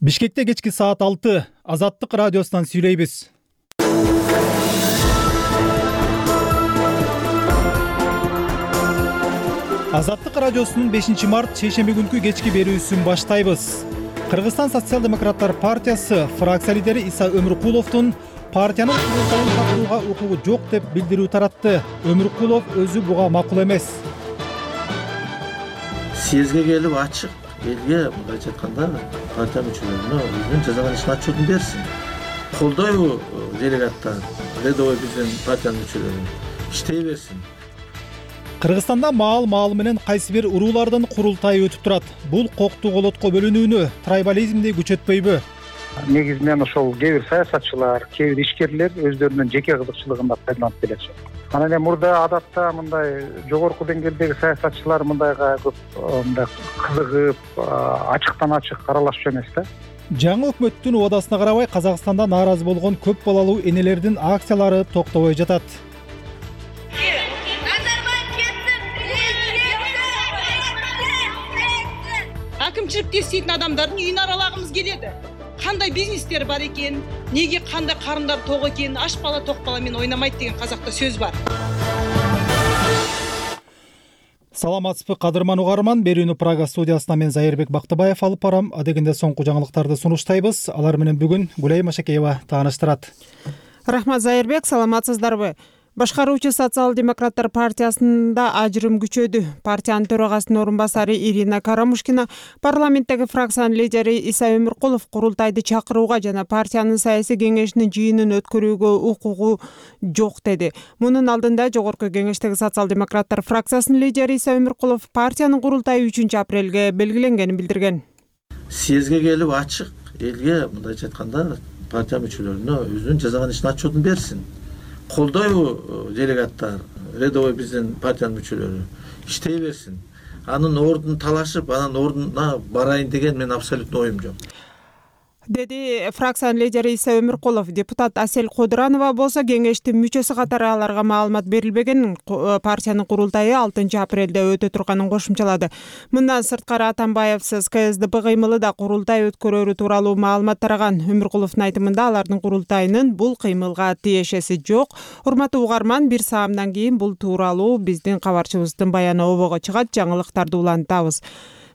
Бишкекте кечки саат 6 Азаттык радиосунан сүйлөйбүз. Азаттык радиосунун 5-март шейшемби күнкү кечки берүүсүн баштайбыз. Кыргызстан социал-демократтар партиясы фракция лидери Иса Өмүркуловдун партиянын курултайын чакырууга укугу жок деп билдирүү таратты. Өмүркулов өзү буга макул эмес. Съезге келип ачык элге мындайча айтканда партия мүчөлөрүнө өзүнүн жасаган ишин отчетун берсин. Колдойбу делегаттар, рядовой биздин партиянын мүчөлөрү иштей берсин. Кыргызстанда маал менен кайсы бир уруулардын курултайы өтүп турат. Бул кокту колотко бөлүнүүнү, трайбализмди күчөтпөйбү? Негизинен ошол кээ бир саясатчылар, кээ бир ишкерлер өздөрүнүн жеке кызыкчылыгында пайдаланып келишет. Анан эми мурда адатта мындай жогорку деңгээлдеги саясатчылар мындайга көп мындай кызыгып, ачыктан ачык аралашчу эмес да. Жаңы өкмөттүн убадасына карабай Казакстанда нааразы болгон көп балалуу энелердин акциялары токтобой жатат. Акимчиликте иштейтин адамдардын үйүн аралагыбыз келеді. Кандай бизнестер бар экен, неге кандай карындар ток экен, аш бала ток бала менен ойнамайт деген казакта сөз бар. Саламатсызбы кадырман угарман, берүүнү Прага студиясынан мен Зайырбек Бактыбаев алып барам. Адегенде соңку жаңылыктарды сунуштайбыз. Алар менен бүгүн Гулей Машакеева тааныштырат. Рахмат Зайырбек, саламатсыздарбы? Башкаруучу социал-демократтар партиясында ажырым күчөдү. Партиянын төрагасынын орун басары Ирина Карамушкина парламенттеги фракциянын лидери Иса Өмүркулов курултайды чакырууга жана партиянын саясий кеңешинин жыйынын өткөрүүгө укугу жок деди. Мунун алдында жогорку кеңештеги социал-демократтар фракциясынын лидери Иса Өмүркулов партиянын курултайы 3-апрелге белгиленгенин билдирген. Съезге келип ачык элге мындайча айтканда партия мүчөлөрүнө өзүнүн жасаган ишин отчетун берсин. Колдойбу делегаттар, рядовой биздин партиянын мүчөлөрү иштей берсин. Анын ордун талашып, анын ордуна барайын деген мен абсолютно оюм жок, деди фракциянын лидери Иса Өмүркулов. Депутат Асель Кодуранова болсо кеңештин мүчөсү катары аларга маалымат берилбегенин, партиянын курултайы 6-апрелде өтө турганын кошумчалады. Мындан сырткары Атамбаевсиз КСДП кыймылы да курултай өткөрөрү тууралуу маалымат тараган. Өмүркуловдун айтымында алардын курултайынын бул кыймылга тиешеси жок. Урматтуу угарман, бир саамдан кийин бул тууралуу биздин кабарчыбыздын баяны обого чыгат, жаңылыктарды улантабыз.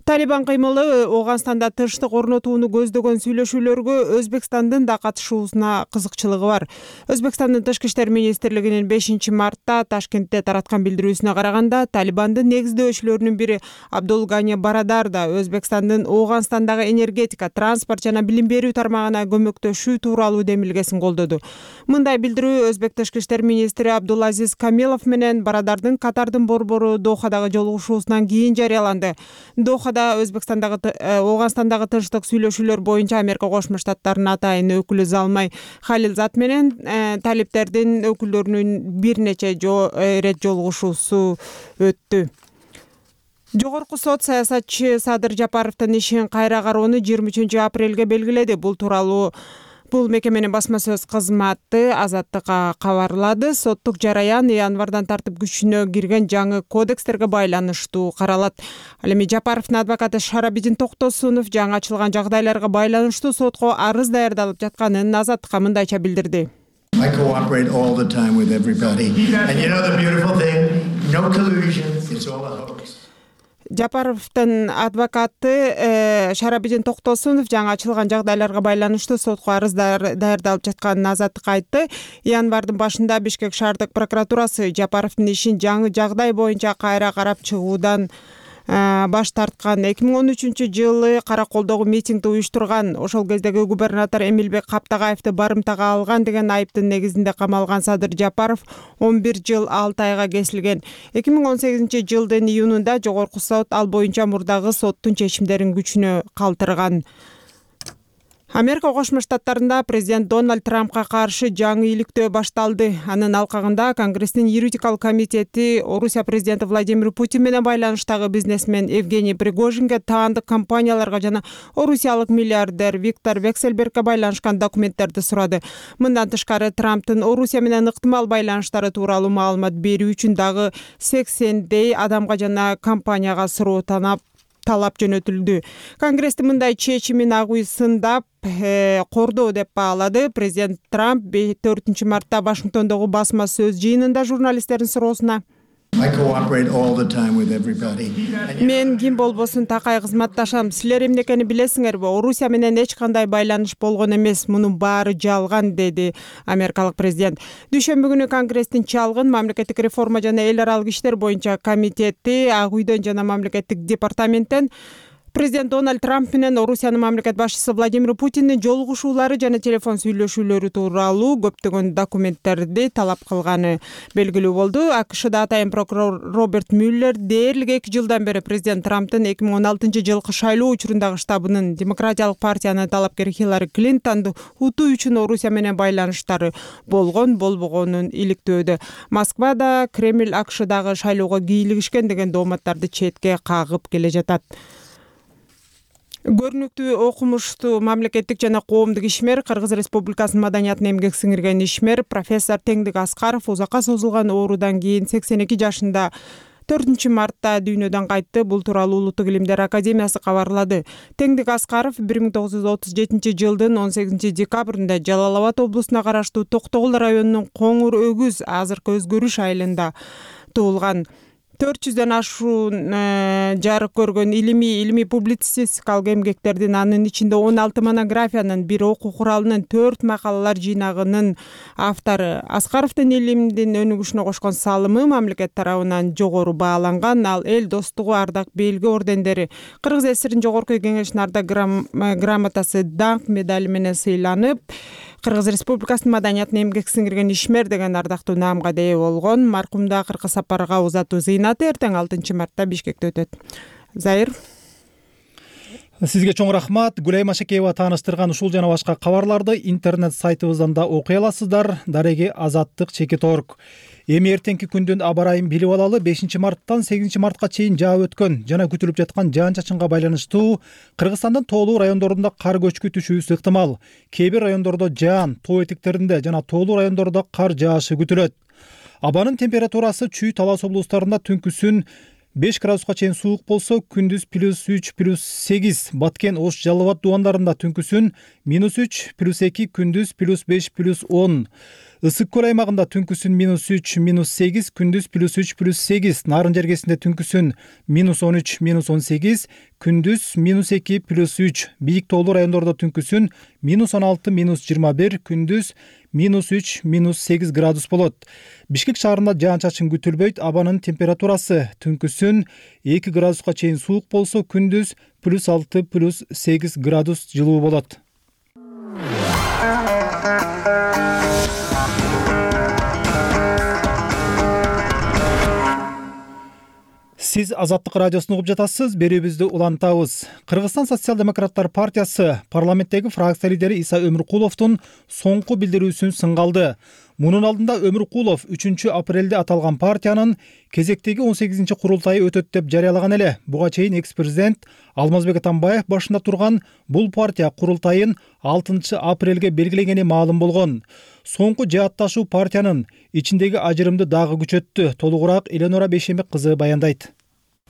Талибан кыймылы Ооганстанда тынчтык орнотууну көздөгөн сүйлөшүүлөргө Өзбекстандын да катышуусуна кызыкчылыгы бар. Өзбекстандын Тышкы иштер министрлигинин 5-мартта Ташкентте тараткан билдирүүсүнө караганда, Талибандын негиздөөчүлөрүнүн бири Абдул Гани Барадар да Өзбекстандын Ооганстандагы энергетика, транспорт жана билим берүү тармагына көмөктөшүү тууралуу демилгесин колдоду. Мындай билдирүү Өзбек Тышкы иштер министри Абдулазиз Камилов менен Барадардын Катардын борбору Дохадагы жолугушуусунан кийин жарыяланды. Өзбекстандагы Ооганстандагы тынчтык сүйлөшүүлөр боюнча Америка Кошмо Штаттарынын атайын өкүлү Залмай Халилзад менен талиптердин өкүлдөрүнүн бир нече рет жолугушуусу өттү. Жогорку сот саясатчы Садыр Жапаровдун ишин кайра кароону 23-апрелге белгиледи. Бул мекеменин басма сөз кызматы Азаттыкка кабарлады. Соттук жараян январдан тартып күчүнө кирген жаңы кодекстерге байланыштуу каралат. Ал эми Жапаровдун адвокаты Шарабидин Токтосунов жаңы ачылган жагдайларга байланыштуу сотко арыз даярдалып жатканын Азаттыкка мындайча билдирди. I cooperate all the time with everybody. And you know the beautiful thing? No collusion. It's all a hoax. Жапаровдун адвокаты Шарабидин Токтосунов жаңы ачылган жагдайларга байланыштуу сотко арыз даярдалып жатканын Азаттыкка айтты. Январдын башында Бишкек шаардык прокуратурасы Жапаровдун ишин жаңы жагдай боюнча кайра карап чыгуудан баш тарткан. 2013-жылы Караколдогу митингди уюштурган, ошол кездеги губернатор Эмилбек Каптагаевди барымтага алган деген айыптын негизинде камалган Садыр Жапаров 11 жыл 6 айга кесилген. 2018-жылдын июнунда жогорку сот ал боюнча мурдагы соттун чечимдерин күчүнө калтырган. Америка Кошмо Штаттарында президент Дональд Трампка каршы жаңы иликтөө башталды. Анын алкагында Конгресстин юридикалык комитети Орусия президенти Владимир Путин менен байланыштагы бизнесмен Евгений Пригожинге, таандык компанияларга жана орусиялык миллиардер Виктор Вексельбергке байланышкан документтерди сурады. Мындан тышкары Трамптын Орусия менен ыктымал байланыштары тууралуу маалымат берүү үчүн дагы 80дей адамга жана компанияга суроо талап жөнөтүлдү. Конгресстин мындай чечимин ак үй сындап кордоо деп баалады. Президент Трамп 4 мартта Вашингтондогу басма сөз жыйынында журналисттердин суроосуна I cooperate all the time with everybody. мен ким болбосун такай кызматташам. Силер эмнекени билесиңерби? Орусия менен эч кандай байланыш болгон эмес. Мунун баары жалган, деди америкалык президент. Дүйшөмбү күнү Конгресстин чалгын мамлекеттик реформа жана эл аралык иштер боюнча комитети Ак үйдөн жана мамлекеттик департаменттен Президент Дональд Трамп менен Орусиянын мамлекет башчысы Владимир Путиндин жолугушуулары жана телефон сүйлөшүүлөрү тууралуу көптөгөн документтерди талап кылганы белгилүү болду. АКШда атайын прокурор Роберт Мюллер дээрлик 2 жылдан бери президент Трамптын 2016-жылкы шайлоо учурундагы штабынын Демократиялык партиянын талапкери Хиллари Клинтонду утуу үчүн Орусия менен байланыштары болбогонун иликтөөдө. Москвада Кремль АКШдагы шайлоого кийлигишкен деген дооматтарды четке кагып келе жатат. Көрүнүктүү окумуштуу мамлекеттик жана коомдук ишмер, Кыргыз Республикасынын маданиятына эмгек сиңирген ишмер профессор Теңдик Аскаров узакка созулган оорудан кийин 82 жашында 4 мартта дүйнөдөн кайтты. Бул тууралуу Улуттук илимдер академиясы кабарлады. Теңдик Аскаров 1937 жылдын 18 декабрында Жалал Абад облусуна караштуу Токтогул районунун Коңур Өгүз азыркы Өзгөрүш айылында туулган. 400дөн ашуун жарык көргөн илимий публицистикалык эмгектердин, анын ичинде 16 монографиянын, 1 окуу куралынын, 4 макалалар жыйнагынын автору. Аскаровдун илимдин өнүгүшүнө кошкон салымы мамлекет тарабынан жогору бааланган. Ал эл достугу, ардак белги ордендери, Кыргыз ССРинин жогорку кеңешинин ардак грамотасы, даңк медали менен сыйланып, Кыргыз Республикасынын маданиятына эмгек сиңирген ишмер деген ардактуу наамга ээ болгон. Маркумда акыркы сапарга узатуу зыйнаты эртең 6 мартта Бишкекте өтөт. Зайыр. Сизге чоң рахмат. Гүлай Машакеева тааныштырган ушул жана башка кабарларды интернет сайтыбыздан да окуй аласыздар. Дареги Азаттык ЧК.org. Эми эртеңки күндүн аба ырайын билип алалы. 5 марттан 8 мартка чейин жаап өткөн жана күтүлүп жаткан жаан-чачынга байланыштуу Кыргызстандын тоолуу райондорунда кар көчкү түшүүсү ыктымал. Кээ бир райондордо жаан, тоо этектеринде жана тоолуу райондордо кар жаашы күтүлөт. Абанын температурасы Чүй Талас облустарында түнкүсүн 5 градуска чейин суук болсо, күндүз +3, +8, Баткен, Ош, Жалал Абад дубандарында түнкүсүн -3, +2, күндүз +5, +10. Ысык көл аймагында түнкүсүн -3, -8, күндүз +3, +8, Нарын жергесинде түнкүсүн -13, -18, күндүз -2, +3, бийик тоолуу райондордо түнкүсүн -16, -21, күндүз -3, -8 градус болот. Бишкек шаарында жаан-чачын күтүлбөйт. Абанын температурасы түнкүсүн 2 градуска чейин суук болсо, күндүз +6, +8 градус жылуу болот. Сиз Азаттык радиосун угуп жатасыз. Берүүбүздү улантабыз. Кыргызстан социал-демократтар партиясы парламенттеги фракция лидери Иса Өмүркуловдун соңку билдирүүсүн сынга алды. Мунун алдында Өмүркулов 3 апрелде аталган партиянын кезектеги 18 курултайы өтөт деп жарыялаган эле. Буга чейин экс-президент Алмазбек Атамбаев башында турган бул партия курултайын 6 апрелге белгилегени маалым болгон. Соңку жаатташуу партиянын ичиндеги ажырымды дагы күчөттү. Толугураак Эленора Бейшембек кызы баяндайт.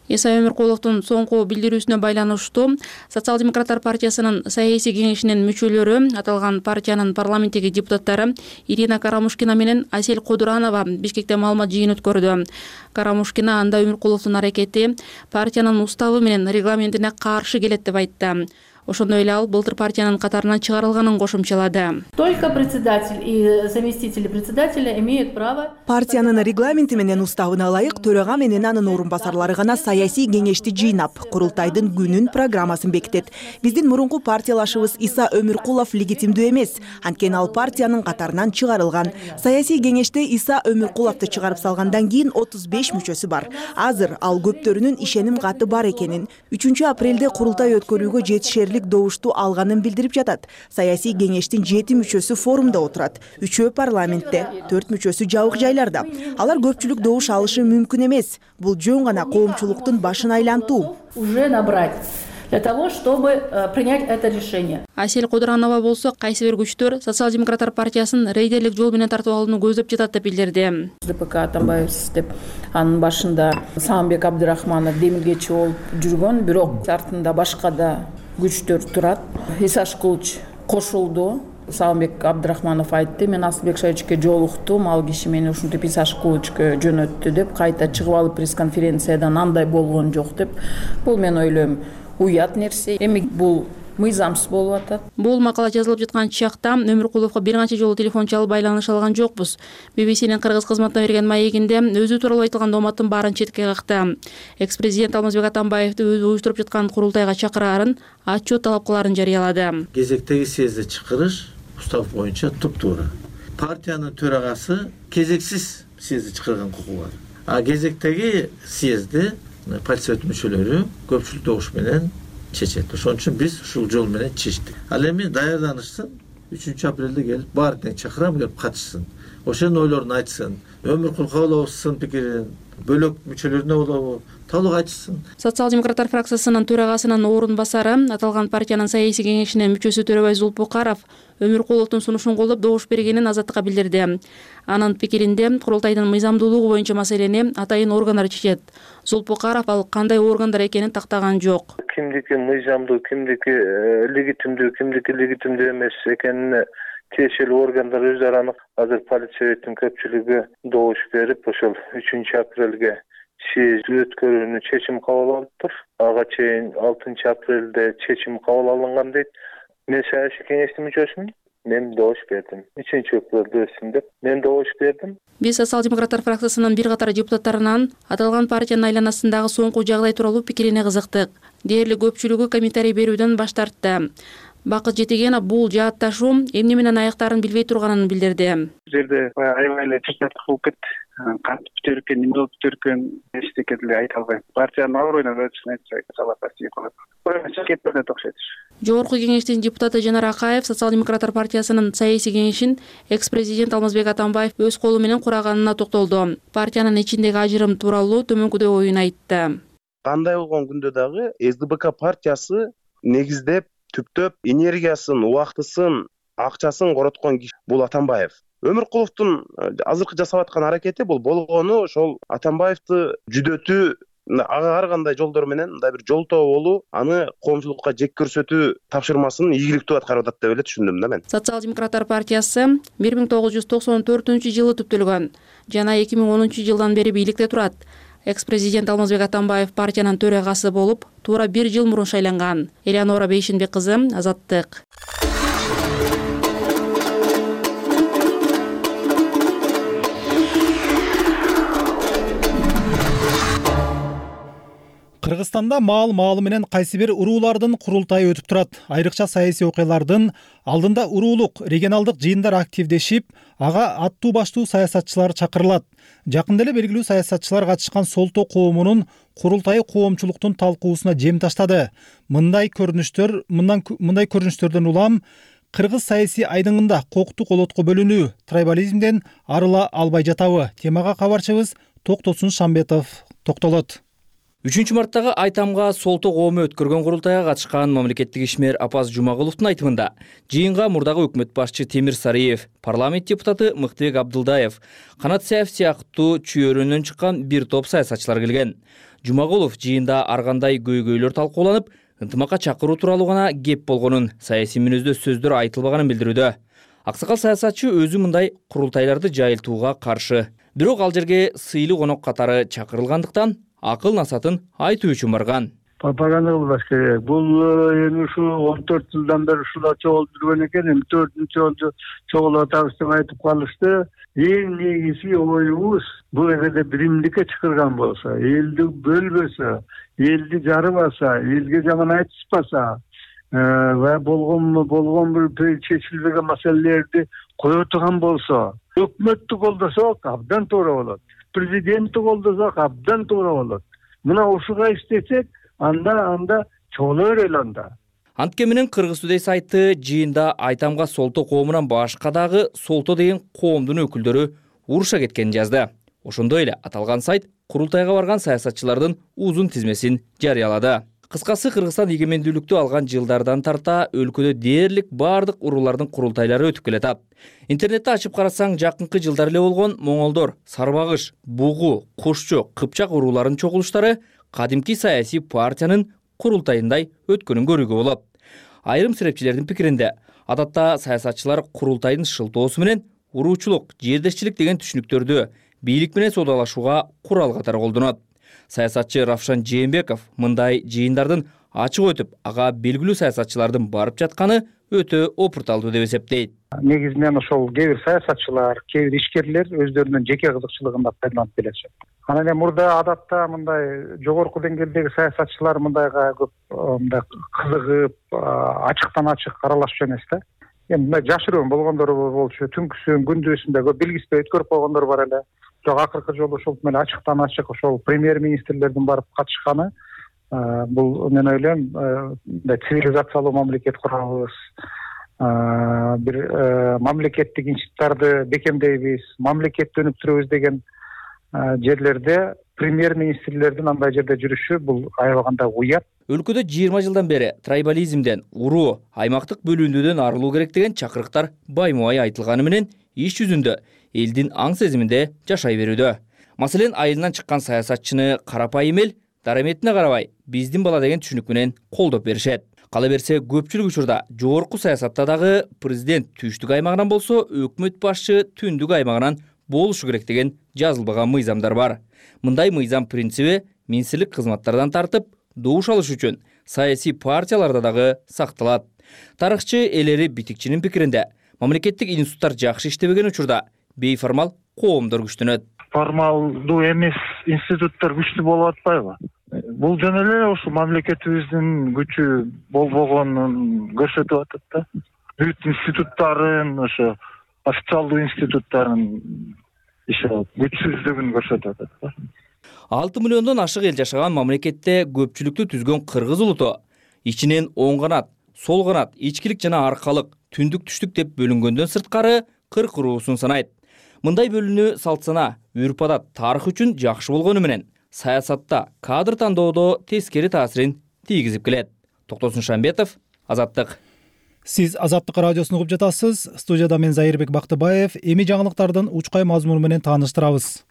Иса Өмүркуловдун соңку билдирүүсүнө байланыштуу Социал-демократтар партиясынын саясий кеңешинин мүчөлөрү, аталган партиянын парламенттеги депутаттары Ирина Карамушкина менен Асель Кодуранова Бишкекте маалымат жыйын өткөрдү. Карамушкина анда Өмүркуловдун аракети партиянын уставы менен регламентине каршы келет деп айтты. Ошондой эле ал былтыр партиянын катарынан чыгарылганын кошумчалады. Только председатель и заместители председателя имеют право. Партиянын регламенти менен уставына ылайык төрага менен анын орун басарлары гана саясий кеңешти жыйнап, курултайдын күнүн, программасын бекитет. Биздин мурунку партиялашыбыз Иса Өмүркулов легитимдүү эмес, анткени ал партиянын катарынан чыгарылган. Саясий кеңеште Иса Өмүркуловду чыгарып салгандан кийин 35 мүчөсү бар. Азыр ал көптөрүнүн ишеним каты бар экенин, 3 апрелде курултай өткөрүүгө жетишерлик добушту алганын билдирип жатат. Саясий кеңештин 7 мүчөсү форумда отурат, 3 парламентте, 4 мүчөсү жабык жайларда. Алар көпчүлүк добуш алышы мүмкүн эмес. Бул жөн гана коомчулуктун башын айлантуу. Уже набрать для того, чтобы принять это решение. Асель Кодуранова болсо кайсы бир күчтөр Социал-демократтар партиясын рейдерлик жол менен тартып алууну көздөп жатат деп билдирди. ДПК Атамбаев деп анын башында Саамбек Абдырахманов демилгечи болуп жүргөн, бирок артында башка да күчтөр турат. Исаш Кылыч кошулду. Саамбек Абдырахманов айтты, мен Асылбек Шайычке жолуктум, ал киши мени ушинтип Исаш Кылычка жөнөттү деп, кайта чыгып алып пресс-конференциядан андай болгон жок деп. Бул мен ойлойм уят нерсе. Эми бул мыйзамсыз болуп атат. Бул макала жазылып жаткан чакта Өмүркуловго бир канча жолу телефон чалып байланыш алган жокпуз. BBC'нин кыргыз кызматына берген маегинде өзү тууралуу айтылган дооматтын баарын четке какты. Экс-президент Алмазбек Атамбаевди өзү уюштуруп жаткан курултайга чакыраарын, отчет талап кылаарын жарыялады. Кезектеги съезди чакырыш устав боюнча туп-туура. Партиянын төрагасы кезексиз съезди чакырган укугу бар. А кезектеги съезди партия мүчөлөрү көпчүлүк добуш менен чечет. Ошон үчүн биз ушул жол менен чечтик. Ал эми даярданышсын, 3-апрелде келип баары тең чакырам, келип катышсын. Ошонун ойлорун айтсын. Өмүркул кабылабызсын пикирин, бөлөк мүчөлөрүнө болобу, толук айтышсын. Социал-демократтар фракциясынын төрагасынын орун басары, аталган партиянын саясий кеңешинин мүчөсү Төрөбай Зулпукаров Өмүркуловдун сунушун колдоп добуш бергенин Азаттыкка билдирди. Анын пикиринде курултайдын мыйзамдуулугу боюнча маселени атайын органдар чечет. Зулпукаров ал кандай органдар экенин тактаган жок. Кимдики мыйзамдуу, кимдики легитимдүү эмес экенине тиешелүү органдар өз араны азыр политсоветтин көпчүлүгү добуш берип, ошол 3-апрелге съезд өткөрүүнү чечим кабыл алыптыр. Ага чейин 6-апрелде чечим кабыл алынган дейт. Мен саясий кеңештин мүчөсүмүн. Мен добуш бердим. 3-апрелде өссүн деп мен добуш бердим. Биз Социал-демократтар фракциясынын бир катар депутаттарынан аталган партиянын айланасындагы соңку жагдай тууралуу пикирине кызыктык. Дээрлик көпчүлүгү комментарий берүүдөн баш тартты. Бакыт Жетегенов бул жаатташуу эмне менен аяктарын билбей турганын билдирди. Бул жерде аябай эле чечилип кетти. Кантип бүтөрүкөн, эмне болуп бүтөрүкөн эчтеке деле айта албайм. Партиянын аброюна өтүшүн айтсак, салапатчы кылат. Кетпеде окшойт. Жогорку кеңештин депутаты Жанар Акаев Социал-демократтар партиясынын саясий кеңешин экс-президент Алмазбек Атамбаев өз колу менен кураганына токтолду. Партиянын ичиндеги ажырым тууралуу төмөнкүдөй оюн айтты. Кандай болгон күндө дагы СДБК партиясы негиздеп, түптөп энергиясын, убактысын, акчасын короткон киши бул Атамбаев. Өмүркуловдун азыркы жасап аткан аракети бул болгону ошол Атамбаевди жүдөтүү, ага ар кандай жолдор менен мындай бир жолтоо болуу, аны коомчулукка жек көрсөтүү тапшырмасын ийгиликтүү аткарып атат деп эле түшүндүм да мен. Социал-демократтар партиясы 1994-жылы түптөлгөн жана 2010-жылдан бери бийликте турат. Экс-президент Алмазбек Атамбаев партиянын төрагасы болуп, туура 1 жыл мурун шайланган. Элеонора Бейшинбек кызы, Азаттык. Кыргызстанда маал менен кайсы бир уруулардын курултайы өтүп турат. Айрыкча саясий окуялардын алдында уруулук, регионалдык жыйындар активдешип, ага аттуу баштуу саясатчылар чакырылат. Жакында эле белгилүү саясатчылар катышкан Солто коомунун курултайы коомчулуктун талкуусуна жем таштады. Мындай көрүнүштөрдөн улам кыргыз саясий айдыңында коктук олотко бөлүнүү, трайбализмден арыла албай жатабы? Темага кабарчыбыз Токтосун Шамбетов токтолот. 3-марттагы Айтамга Солто коому өткөргөн курултайга катышкан мамлекеттик ишмер Апаз Жумагуловдун айтымында жыйынга мурдагы өкмөт башчы Темир Сарыев, парламент депутаты Мыктыбек Абдылдаев, Канат Саев сыяктуу чүйөрүнөн чыккан бир топ саясатчылар келген. Жумагулов жыйында ар кандай көйгөйлөр талкууланып, ынтымакка чакыруу тууралуу гана кеп болгонун, саясий мүнөздө сөздөр айтылбаганын билдирүүдө. Аксакал саясатчы өзү мындай курултайларды жайылтууга каршы. Бирок ал жерге сыйлуу конок катары чакырылгандыктан акыл насатын айтуу үчүн барган. Пропаганда кылбаш керек. Бул эми ушу 14 жылдан бери ушула чогулуп жүргөн экен, эми 4-чү жолу чогулуп атабыз деп айтып калышты. Эң негизи оюбуз бул эгерде биримдикке чакырган болсо, элди бөлбөсө, элди жарыбаса, элге жаман айтышпаса, ва болгон бир чечилбеген маселелерди кое турган болсо, өкмөттү колдосок абдан туура болот. Президентти колдосок абдан туура болот. Мына ушуга иштесек, анда чоңо өрөлө анда. Антке менен Кыргыз Today сайты жыйында Айтамга Солто коомунан башка дагы Солто деген коомдун өкүлдөрү уруша кеткенин жазды. Ошондой эле аталган сайт курултайга барган саясатчылардын узун тизмесин жарыялады. Кыскасы, Кыргызстан эгемендүүлүктү алган жылдардан тарта өлкөдө дээрлик бардык уруулардын курултайлары өтүп келатат. Интернетти ачып карасаң, жакынкы жылдар эле болгон моңолдор, сарбагыш, бугу, кушчу, кыпчак урууларынын чогулуштары кадимки саясий партиянын курултайындай өткөнүн көрүүгө болот. Айрым серепчилердин пикиринде, адатта саясатчылар курултайдын шылтоосу менен уруучулук, жердешчилик деген түшүнүктөрдү бийлик менен соодалашууга курал катары колдонот. Саясатчы Равшан Жээнбеков мындай жыйындардын ачык өтүп, ага белгилүү саясатчылардын барып жатканы өтө опурталдуу деп эсептейт. Негизинен ошол кээ бир саясатчылар, кээ бир ишкерлер өздөрүнүн жеке кызыкчылыгында пайдаланып келишет. Анан эми мурда адатта мындай жогорку деңгээлдеги саясатчылар мындайга көп мындай кызыгып, ачыктан ачык аралашчу эмес да. Эми мындай жашыруун болгондор болчу, түнкүсүн, күндүзүн көп белгиспей өткөрүп койгондор бар эле. Бирок акыркы жолу ошол менен ачыктан ачык ошол премьер-министрлердин барып катышканы бул мен ойлойм мындай цивилизациялуу мамлекет курабыз, бир мамлекеттик институттарды бекемдейбиз, мамлекетти өнүктүрөбүз деген жерлерде премьер-министрлердин андай жерде жүрүшү бул аябаганда уят. Өлкөдө 20 жылдан бери трайбализмден, уруу, аймактык бөлүндүүдөн арылуу керек деген чакырыктар баймубай айтылганы менен иш жүзүндө элдин аң сезиминде жашай берүүдө. Маселен, айылынан чыккан саясатчыны карапайым эл дараметине карабай биздин бала деген түшүнүк менен колдоп беришет. Кала берсе, көпчүлүк учурда жогорку саясатта дагы президент түштүк аймагынан болсо, өкмөт башчы түндүк аймагынан болушу керек деген жазылбаган мыйзамдар бар. Мындай мыйзам принциби министрлик кызматтардан тартып, добуш алыш үчүн саясий партияларда дагы сакталат. Тарыхчы Элери Битикчинин пикиринде, мамлекеттик институттар жакшы иштебеген учурда бейформал коомдор күчтөнөт. Формалдуу эмес институттар күчтүү болуп атпайбы? Бул жөн эле ошо мамлекетибиздин күчү болбогонун көрсөтүп атат да. Бүт институттарын, ошо официалдуу институттарын күчсүздүгүн көрсөтүп атат да. 6 миллиондон ашык эл жашаган мамлекетте көпчүлүктү түзгөн кыргыз улуту ичинен оң канат, сол канат, ичкилик жана аркалык, түндүк түштүк деп бөлүнгөндөн сырткары 40 уруусун санайт. Мындай бөлүнүү салт-сана, үрп-адат, тарых үчүн жакшы болгону менен саясатта, кадр тандоодо тескери таасирин тийгизип келет. Токтосун Шамбетов, Азаттык. Сиз Азаттык радиосун угуп жатасыз. Студияда мен Зайырбек Бактыбаев. Эми жаңылыктардын учкай мазмуну менен тааныштырабыз.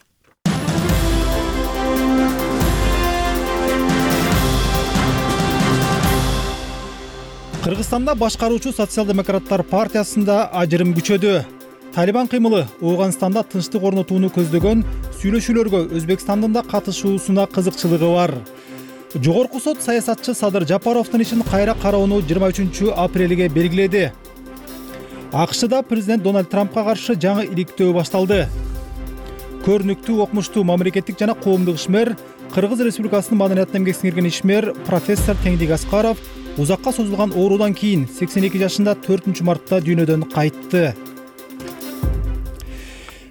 Кыргызстанда башкаруучу социал-демократтар партиясында ажырым күчөдү. Талибан кыймылы Ооганстанда тынчтык орнотууну көздөгөн сүйлөшүүлөргө Өзбекстандын да катышуусуна кызыкчылыгы бар. Жогорку сот саясатчы Садыр Жапаровдун ишин кайра кароону 23 апрелге белгиледи. АКШда президент Дональд Трампка каршы жаңы иликтөө башталды. Көрүнүктүү, окумуштуу мамлекеттик жана коомдук ишмер, Кыргыз Республикасынын маданиятына эмгек сиңирген ишмер профессор Теңдик Аскаров узакка созулган оорудан кийин 82 жашында 4 мартта дүйнөдөн кайтты.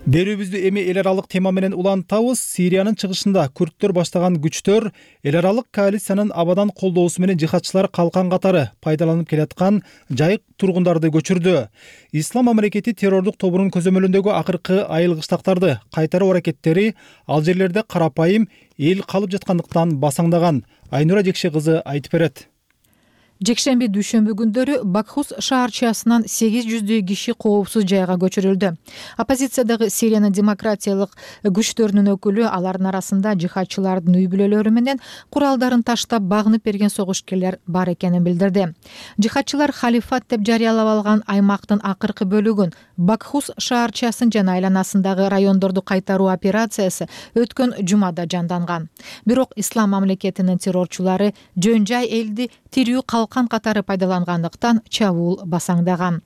Берүүбүздү эми эл аралык тема менен улантабыз. Сириянын чыгышында күрдтөр баштаган күчтөр эл аралык коалициянын абадан колдоосу менен жихадчылар калкан катары пайдаланып келаткан жайык тургундарды көчүрдү. Ислам мамлекети террордук тобунун көзөмөлүндөгү акыркы айылгыштактарды кайтаруу аракеттери ал жерлерде карапайым эл калып жаткандыктан басаңдаган. Айнура Жекше кызы айтып берет. Жекшемби дүйшөмбү күндөрү Бакхус шаарчасынан 800 киши коопсуз жайга көчүрүлдү. Оппозициядагы Сириянын демократиялык күчтөрүнүн өкүлү алардын арасында жихадчылардын үй бүлөлөрү менен куралдарын таштап багынып берген согушкерлер бар экенин билдирди. Жихадчылар халифат деп жарыялап алган аймактын акыркы бөлүгүн, Бакхус шаарчасын жана айланасындагы райондорду кайтаруу операциясы өткөн жумада жанданган. Бирок Ислам мамлекетинин террорчулары жөн жай элди тирүү калкан катары пайдалангандыктан чабуул басаңдаган.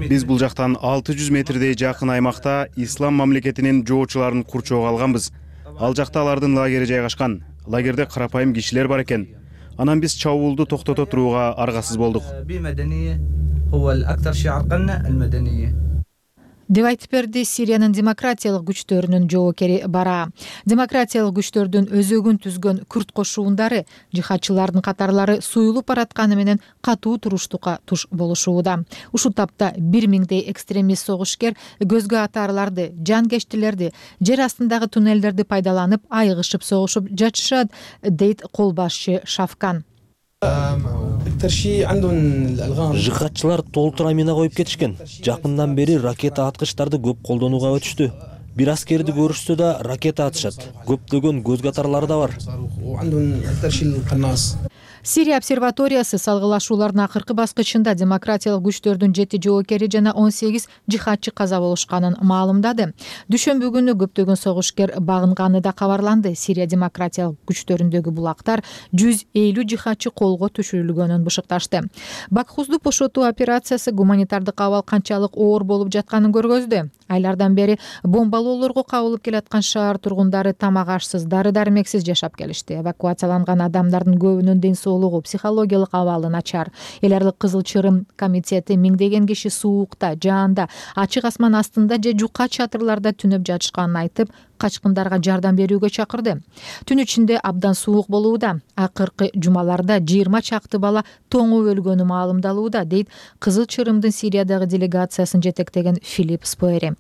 Биз бул жактан 600 метрдей жакын аймакта Ислам мамлекетинин жоочуларын курчоого алганбыз. Ал жакта алардын лагери жайгашкан. Лагерде карапайым кишилер бар экен. Анан биз чабуулду токтото турууга аргасыз болдук. деп айтып берди Сириянын демократиялык күчтөрүнүн жоокери Бара. Демократиялык күчтөрдүн өзөгүн түзгөн күрд кошуундары жихадчылардын катарлары суюлуп баратканы менен катуу туруштукка туш болушууда. Ушул тапта 1000дей экстремист согушкер көзгө атаарларды, жанкечтилерди, жер астындагы туннелдерди пайдаланып айыгышып согушуп жатышат, дейт кол башчы Шафкан. Жихадчылар толтура мина коюп кетишкен. Жакындан бери ракета аткычтарды көп колдонууга өтүштү. Бир аскерди көрүшсө да ракета атышат. Көптөгөн көзгө атарлары да бар. Сирия обсерваториясы салгылашуулардын акыркы баскычында демократиялык күчтөрдүн 7 жоокери жана 18 жихадчы каза болушканын маалымдады. Дүшөмбү күнү көптөгөн согушкер багынганы да кабарланды. Сирия демократиялык күчтөрүндөгү булактар 150 жихадчы колго түшүрүлгөнүн бышыкташты. Бакхузду бошотуу операциясы гуманитардык абал канчалык оор болуп жатканын көргөздү. Айлардан бери бомбалоолорго кабылып келаткан шаар тургундары тамак ашсыз, дары-дармексиз жашап келишти. Эвакуацияланган адамдардын көбүнүн ден соолугу, психологиялык абалы начар. Эл аралык Кызыл Чырым комитети миңдеген киши суукта, жаанда, ачык асман астында же жука чатырларда түнөп жатышканын айтып, качкындарга жардам берүүгө чакырды. Түн ичинде абдан суук болууда. Акыркы жумаларда 20 чакты бала тоңуп өлгөнү маалымдалууда, дейт Кызыл Чырымдын Сириядагы делегациясын жетектеген Филипп Споери.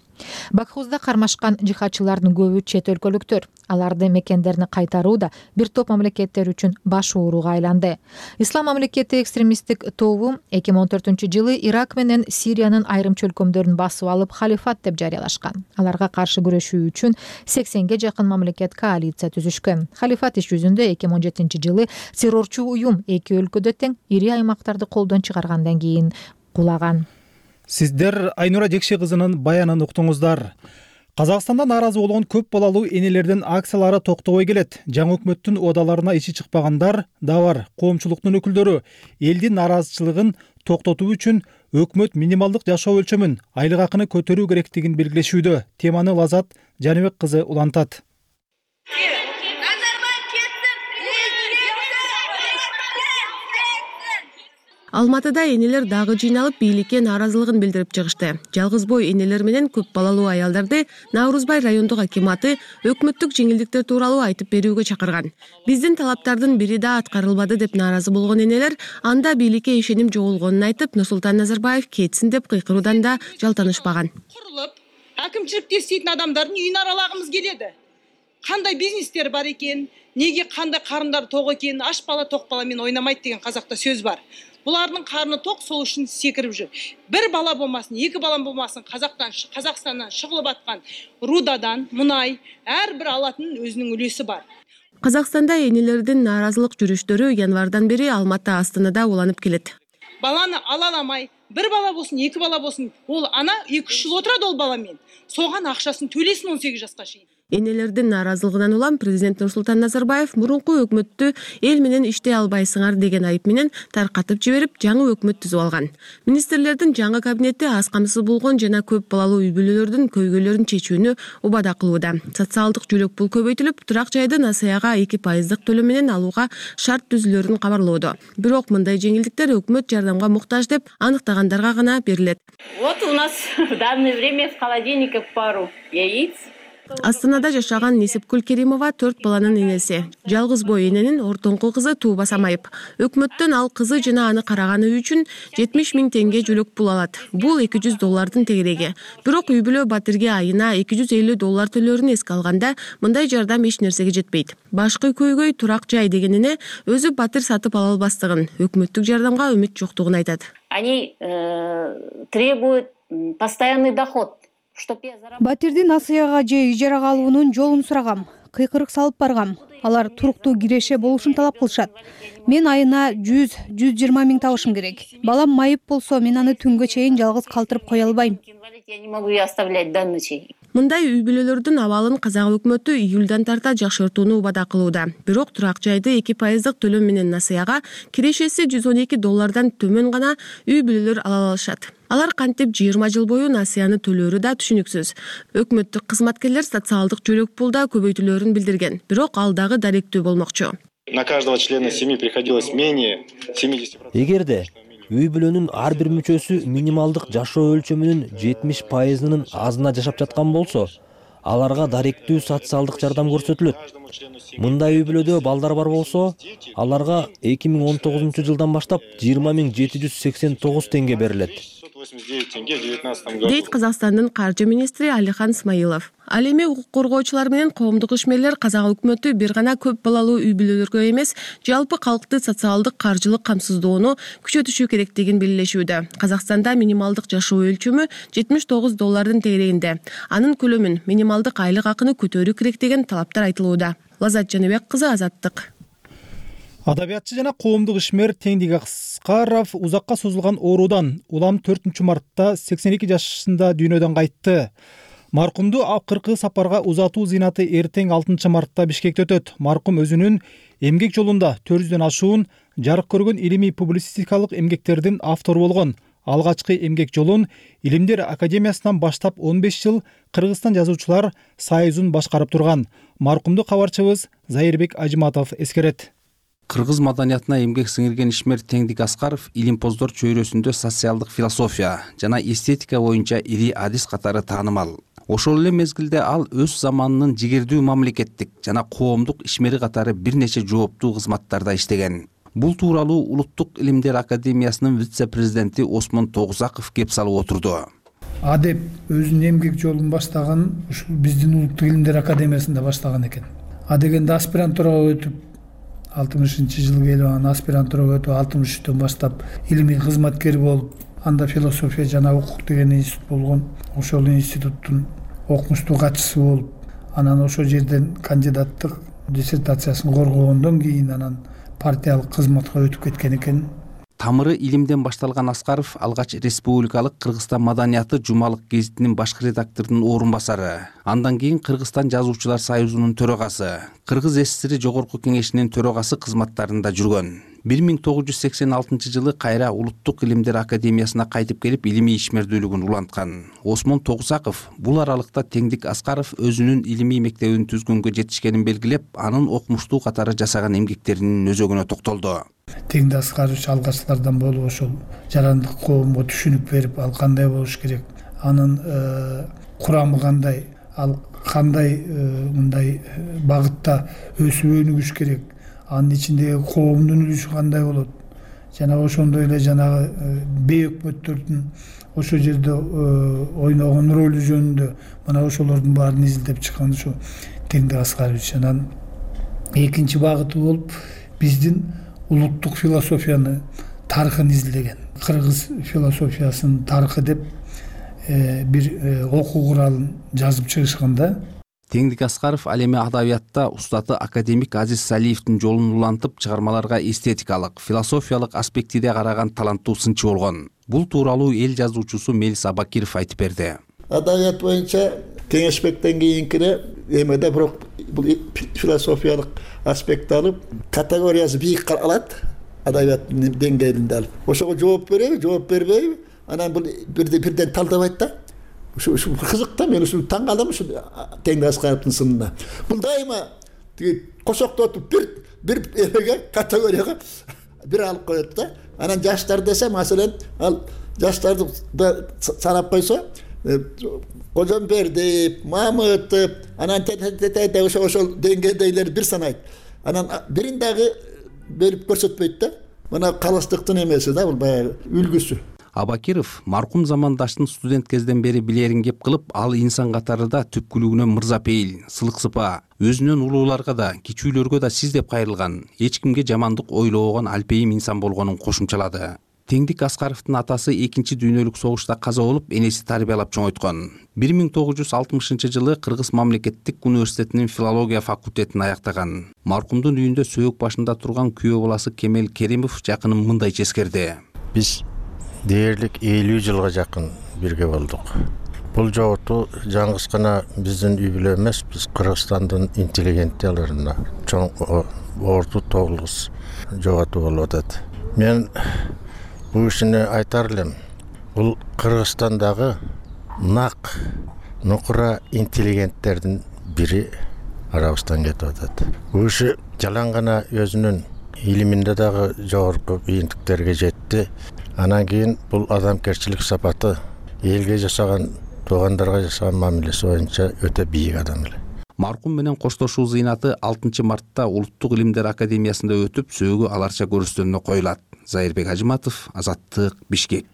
Бакхузда кармашкан жихадчылардын көбү чет өлкөлүктөр. Аларды мекендерине кайтарууда бир топ мамлекеттер үчүн баш ооруга айланды. Ислам мамлекети экстремисттик тобу 2014-жылы Ирак менен Сириянын айрым чөлкөмдөрүн басып алып халифат деп жарыялашкан. Аларга каршы күрөшүү үчүн 80ге жакын мамлекет коалиция түзүшкөн. Халифат иш жүзүндө 2017-жылы террорчу уюм эки өлкөдө тең ири аймактарды колдон чыгаргандан кийин кулаган. Сиздер Айнура Жекше кызынын баянын уктуңуздар. Казакстанда нааразы болгон көп балалуу энелердин акциялары токтобой келет. Жаңы өкмөттүн оодаларына ичи чыкпагандар да бар. Коомчулуктун өкүлдөрү элдин нааразычылыгын токтотуу үчүн өкмөт минималдык жашоо өлчөмүн, айлык акыны көтөрүү керектигин белгилешүүдө. Теманы Лазат Жаныбек кызы улантат. Алматыда энелер дагы жыйналып бийликке нааразылыгын билдирип чыгышты. Жалгыз бой энелер менен көп балалуу аялдарды Наурузбай райондук акиматы өкмөттүк жеңилдиктер тууралуу айтып берүүгө чакырган. Биздин талаптардын бири да аткарылбады деп нааразы болгон энелер анда бийликке ишеним жоголгонун айтып, Нурсултан Назарбаев кетсин деп кыйкыруудан да жалтанышпаган. Курулуп, акимчиликте иштейтин адамдардын үйүн аралагымыз келеди. Кандай бизнестер бар экен, неге кандай карындар ток экен, аш бала ток бала менен ойнамайт деген казакта сөз бар. Булардын карны ток, сол үчүн секирип жүр. Бир бала болмасын, эки бала болмасын, Казакстандан чыгылып аткан рудадан, мунай, ар бир алатын өзүнүн үлөсү бар. Казакстанда энелердин нааразылык жүрүштөрү январдан бери Алматы Астанада уланып келет. Баланы ала аламай, бир бала болсун, эки бала болсун, ол ана 2-3 жыл отурат ол бала менен. Соган акчасын төлөсүн 18 жашка чейин. Энелердин нааразылыгынан улам президент Нурсултан Назарбаев мурунку өкмөттү эл менен иштей албайсыңар деген айып менен таркатып жиберип, жаңы өкмөт түзүп алган. Министрлердин жаңы кабинети аз камсыз болгон жана көп балалуу үй бүлөлөрдүн көйгөйлөрүн чечүүнү убада кылууда. Социалдык жөлөк пул көбөйтүлүп, турак жайды насыяга 2% төлөм менен алууга шарт түзүлөрүн кабарлоодо. Бирок мындай жеңилдиктер өкмөт жардамга муктаж деп аныктагандарга гана берилет. Вот у нас в данное время в холодильнике пару яиц. Астанада жашаган Несипкүл Керимова 4 баланын энеси. Жалгыз бой эненин ортоңку кызы туубаса майып. Өкмөттөн ал кызы жана аны караганы үчүн 70 000 теңге жөлөк пул алат. Бул $200 тегереги. Бирок үй бүлө Батирге айына $250 төлөөрүн эске алганда, мындай жардам эч нерсеге жетпейт. Башкы көйгөй турак жай дегенине өзү Батир сатып ала албастыгын, өкмөттүк жардамга үмүт жоктугун айтат. Они требуют постоянный доход. Батирди насыяга же ижарага алуунун жолун сурагам. Кыйкырык салып баргам. Алар туруктуу киреше болушун талап кылышат. Мен айына 100-120 000 табышым керек. Балам майып болсо, мен аны түнгө чейин жалгыз калтырып кое албайм. Я не могу ее оставлять до ночи. Мындай үй бүлөлөрдүн абалын казак өкмөтү июлдан тарта жакшыртууну убада кылууда. Бирок турак жайды 2% төлөм менен насыяга кирешеси $112 төмөн гана үй бүлөлөр ала алышат. Алар кантип 20 жыл бою насыяны төлөөрү да түшүнүксүз. Өкмөттүк кызматкерлер социалдык жөлөк пулда көбөйтүлөрүн билдирген, бирок ал дагы даректүү болмокчу. На каждого члена семьи приходилось менее 70%. Эгерде үй бүлөнүн ар бир мүчөсү минималдык жашоо өлчөмүнүн 70%-нын азына жашап жаткан болсо, аларга даректүү социалдык жардам көрсөтүлөт. Мындай үй бүлөдө балдар бар болсо, аларга 2019 жылдан баштап 20.789 теңге берилет. Дейт Казакстандын каржы министри Алихан Смайылов. Ал эми укук коргоочулар менен коомдук ишмерлер казак өкмөтү бир гана көп балалуу үй бүлөлөргө эмес, жалпы калкты социалдык каржылык камсыздоону күчөтүшү керектигин белгилешүүдө. Казакстанда минималдык жашоо өлчөмү $79 тегерегинде. Анын көлөмүн, минималдык айлык акыны көтөрүү керек деген талаптар айтылууда. Лазат Жаныбек кызы, Азаттык. Адабиятчы жана коомдук ишмер Теңдик Аскаров узакка созулган оорудан улам 4 мартта 82 жашында дүйнөдөн кайтты. Маркумду акыркы сапарга узатуу зыйнаты эртең 6 мартта Бишкекте өтөт. Маркум өзүнүн эмгек жолунда 400дөн ашуун жарык көргөн илимий публицистикалык эмгектердин автору болгон. Алгачкы эмгек жолун Илимдер академиясынан баштап 15 жыл Кыргызстан жазуучулар союзун башкарып турган. Маркумду кабарчыбыз Зайырбек Ажыматов эскерет. Кыргыз маданиятына эмгек сиңирген ишмер Теңдик Аскаров илимпоздор чөйрөсүндө социалдык философия жана эстетика боюнча ири адис катары таанымал. Ошол эле мезгилде ал өз заманынын жигердүү мамлекеттик жана коомдук ишмери катары бир нече жооптуу кызматтарда иштеген. Бул тууралуу Улуттук Илимдер академиясынын вице-президенти Осмон Тогузаков кеп салып отурду. Адеп өзүнүн эмгек жолун баштаган ушул биздин Улуттук Илимдер академиясында баштаган экен. Дегенде аспирантурага өтүп 60-жылы келип анан аспирантурага өтүп 63-төн баштап илимий кызматкер болуп, анда философия жана укук деген институт болгон. Ошол институттун окумуштуу катчысы болуп, анан ошол жерден кандидаттык диссертациясын коргогондон кийин анан партиялык кызматка өтүп кеткен экен. Тамыры илимден башталган Аскаров алгач Республикалык Кыргызстан маданияты жумалык гезитинин башкы редакторунун орун басары, андан кийин Кыргызстан жазуучулар союзунун төрагасы, Кыргыз СССР жогорку кеңешинин төрагасы кызматтарында жүргөн. 1986 жылы кайра Улуттук Илимдер академиясына кайтып келип илимий ишмердүүлүгүн уланткан. Осмон Тогузаков бул аралыкта Теңдик Аскаров өзүнүн илимий мектебин түзгөнгө жетишкенин белгилеп, анын окумуштуу катары жасаган эмгектеринин өзөгүнө токтолду. Теңдик Аскаров алгачтардан болуп ошол жарандык коомго түшүнүк берип, ал кандай болуш керек, анын курамы кандай, ал кандай мындай багытта өсүп өнүгүш керек, анын ичиндеги коомдун үлүшү кандай болот, жана ошондой эле жанагы бейөкмөттөрдүн ошол жерде ойногон ролу жөнүндө мына ошолордун баарын изилдеп чыккан ушу Теңдик Аскарович. Анан экинчи багыты болуп биздин улуттук философияны тарыхын изилдеген. Кыргыз философиясынын тарыхы деп бир окуу куралын жазып чыгышканда. Теңдик Аскаров ал эми адабиятта устаты академик Азиз Салиевдин жолун улантып, чыгармаларга эстетикалык, философиялык аспектиде караган таланттуу сынчы болгон. Бул тууралуу эл жазуучусу Мелис Абакиров айтып берди. Адабият боюнча кеңешмектен кийинкине эмеде бирок бул философиялык аспект алып, категориясы бийик каралат, адабияттын деңгээлинде алып. Ошого жооп береби, жооп бербейби? Анан бул бирден талдабайт да. Ушу кызык да, мен ушу таң калам ушу Теңдик Аскаровдун сынына. Бул дайыма кошоктотуп бир эмеге, категорияга бир алып коет да. Анан жаштар десе, маселен, ал жаштарды санап койсо, Кожомбердиев, Мамытов, анан ошол деңгээлдегилер бир санайт. Анан бирин дагы берип көрсөтпөйт да. Мына калыстыктын эмеси да, бул баягы үлгүсү. Абакиров маркум замандаштын студент кезден бери билерин кеп кылып, ал инсан катарында түпкүлүгүнөн мырзапейил, сылык сыпа, өзүнөн улууларга да, кичүүлөргө да сиз деп кайрылган, эч кимге жамандык ойлобогон алпейим инсан болгонун кошумчалады. Теңдик Аскаровдун атасы 2 дүйнөлүк согушта каза болуп, энеси тарбиялап чоңойткон. 1960 жылы Кыргыз мамлекеттик университетинин филология факультетин аяктаган. Маркумдун үйүндө сөөк башында турган күйөө баласы Кемел Керимов жакынын мындайча эскерди. Биз дээрлик 50 жылга жакын бирге болдук. Бул жоготуу жалгыз гана биздин үй бүлө эмес, биз Кыргызстандын интеллигенцияларына чоң орду тогулгус жоготуу болуп атат. Мен бул ишини айтар элем. Бул Кыргызстандагы нак нукура интеллигенттердин бири арабыздан кетип атат. Бул иши жалаң гана өзүнүн илиминде дагы жогорку ийгиликтерге жетти. Анан кийин бул адамгерчилик сапаты элге жашаган, туугандарга жашаган мамилеси боюнча өтө бийик адам эле. Маркум менен коштошуу зыйнаты 6 мартта Улуттук илимдер академиясында өтүп, сөөгү аларча көрүстөрүнө коюлат. Зайырбек Ажыматов, Азаттык, Бишкек.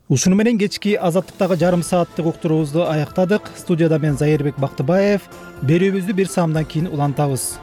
Ушуну менен кечки Азаттыктагы жарым сааттык уктуруубузду аяктадык. Студияда мен Зайырбек Бактыбаев. Берүүбүздү бир саамдан кийин улантабыз.